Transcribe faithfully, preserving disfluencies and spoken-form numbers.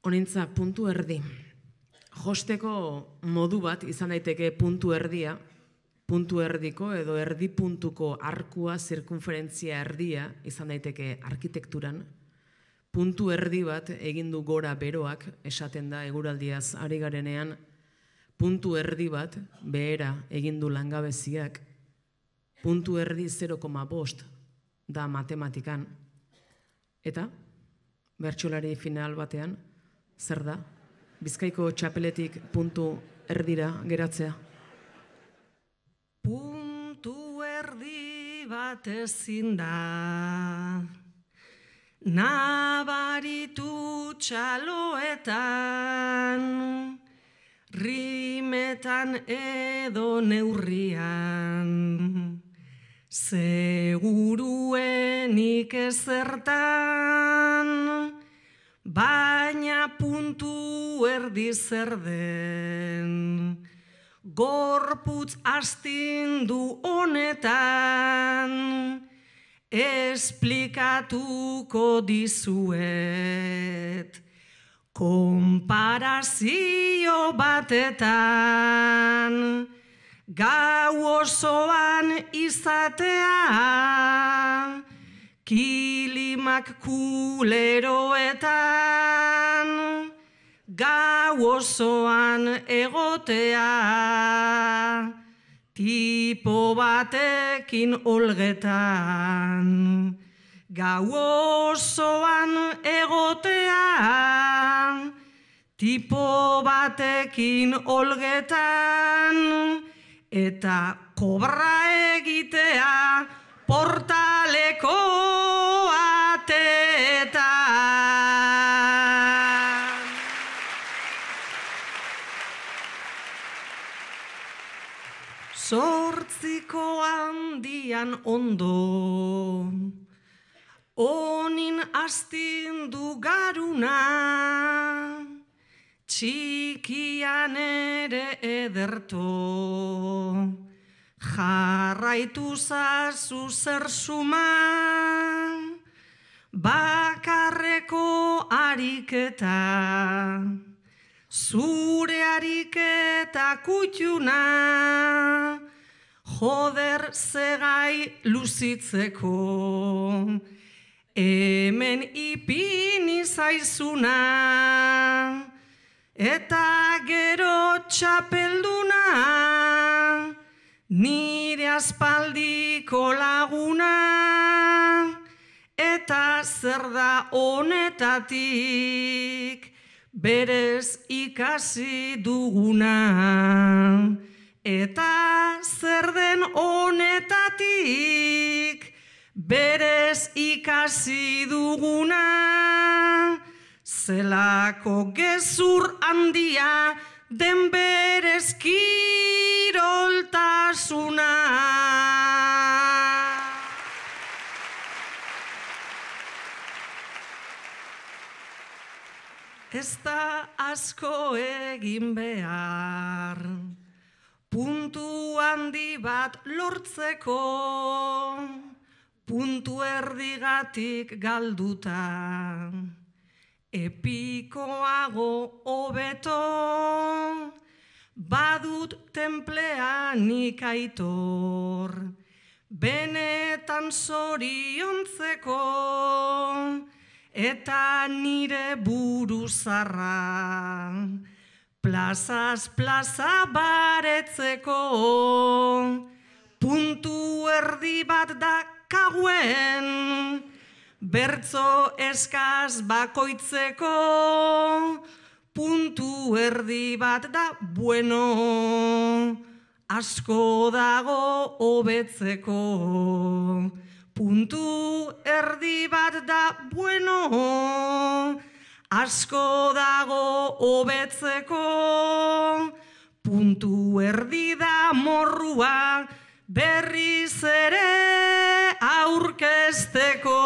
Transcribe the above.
Honintza, puntu erdi. Josteko modu bat izan daiteke puntu erdia, puntu erdiko edo erdi puntuko arkua, zirkunferentzia erdia izan daiteke arkitekturan. Puntu erdi bat egin du gora beroak, esaten da eguraldiaz ari garenean, puntu erdi bat behera egin du langabeziak, puntu erdi zero koma bost da matematikan. Eta, bertsolari final batean, zer da? Bizkaiko txapeletik puntu erdira geratzea. Puntu erdi bat ezin da, nabaritu txaloetan, rimetan edo neurrian, seguruenik ezertan, baina puntu erdi zer den, gorputz astindu honetan, esplikatuko dizuet, konparazio batetan, gau osoan izatea, kilimak kuleroetan, gau osoan egotea, tipo batekin olgetan, gau osoan egotea, tipo batekin olgetan, eta kobra egitea portaleko ateetan. Zortziko handian ondo, onin astindu garuna, txikian ere ederto, jarraitu zazu zer suman, bakarreko ariketa, zure ariketa kutxuna, joder zegai luzitzeko, hemen ipini zaizuna, eta gero txapelduna, nire aspaldiko laguna, eta zer da honetatik, berez ikasi duguna, eta zer den honetatik, berez ikasi duguna, zelako gezur handia den berez kiroltasuna. Ez da asko egin behar, puntu handi bat lortzeko, puntu erdigatik galduta, epikoago hobeto, badut tenplean ikaitor, benetan zoriontzeko, eta nire buru zarra, plazaz plaza baretzeko, puntu erdi bat da kauen, bertzo eskaz bakoitzeko, puntu erdi bat da bueno, asko dago hobetzeko. Puntu erdi bat da bueno, asko dago hobetzeko, puntu erdi da morrua, berriz ere aurkezteko.